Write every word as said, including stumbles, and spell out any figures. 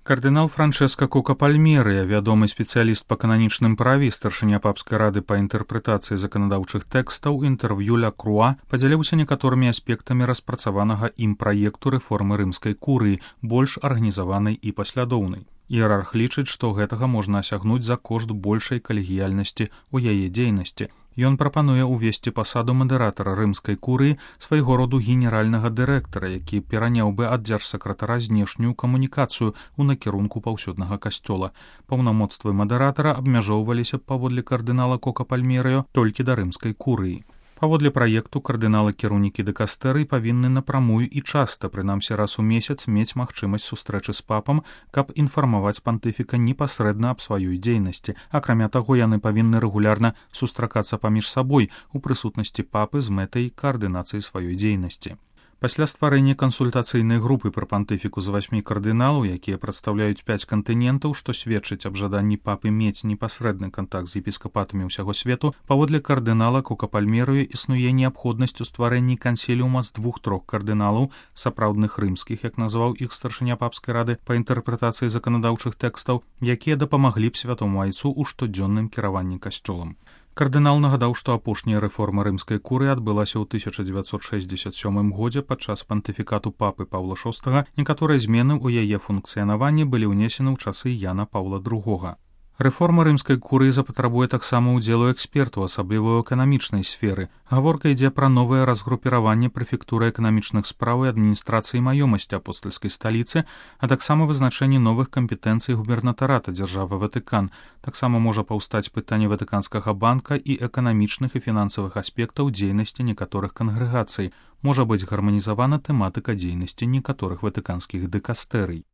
Кардынал Франчэска Кока Пальмерыя, вядомы спецыяліст па кананічным праве і старшыня папскай рады па інтэрпрэтацыі заканадаўчых тэкстаў, інтэрв'ю ля Круа падзяліўся некаторымі аспектамі распрацаванага ім праекту рэформы рымскай курыі, больш арганізаванай і паслядоўнай. Іерарх лічыць, што гэтага можна асягнуць за кошт большай калегіяльнасці ў яе дзейнасці. Ён прапануе ўвесці пасаду мадэратара рымскай курыі, свайго роду генеральнага дырэктара, які пераняў бы ад дзяржсакратара знешнюю камунікацыю ў накірунку паўсюднага касцёла. Паўнамоцтвы мадэратара абмяжоўваліся б паводле кардынала Кока Пальмерыё толькі да рымскай курыі. Паводле праекту кардыналы-кіраўнікі дэкастэрый павінны напрамую і часта, прынамсі раз у месяц, мець магчымасць сустрэчы з папам, каб інфармаваць пантыфіка непасрэдна аб сваёй дзейнасці. Акрамя таго, яны павінны рэгулярна сустракацца паміж сабой у прысутнасці папы з мэтай каардынацыі сваёй дзейнасці. Пасля стварэння кансультацыйнай групы пры пантыфіку з васьмі кардыналаў, якія прадстаўляюць пяць кантынентаў, што сведчыць аб жаданні папы мець непасрэдны кантакт з епіскапатамі ўсяго свету, паводле кардынала Кока Пальмерыё існуе неабходнасць у стварэнні кансіліума з двух-трох кардыналаў, сапраўдных рымскіх, як назваў іх старшыня папскай рады па інтэрпрэтацыі заканадаўчых тэкстаў, якія дапамаглі б святому айцу ў штодзённым кіраванні касцёлам. Кардынал нагадаў, што апошняя рэформа рымскай курыі адбылася ў тысяча дзевяцьсот шэсцьдзесят сёмым годзе падчас пантыфікату папы Паўла шостага. Некаторыя змены ў яе функцыянаванні былі ўнесены ў часы Яна Паўла другога. Рэформа рымскай курыі запатрабуе таксама ўдзелу экспертаў, асабліва ў эканамічнай сферы. Гаворка ідзе пра новае разгрупіраванне прэфектуры эканамічных спраў і адміністрацыі маёмасці апостальскай сталіцы, а таксама вызначэнне новых кампетэнцый губернатарата дзяржавы Ватыкан. Таксама можа паўстаць пытанне Ватыканскага банка і эканамічных і фінансавых аспектаў дзейнасці некаторых кангрэгацый. Можа быць гарманізавана тэматыка дзейнасці некаторых ватыканскіх дэкастэрый.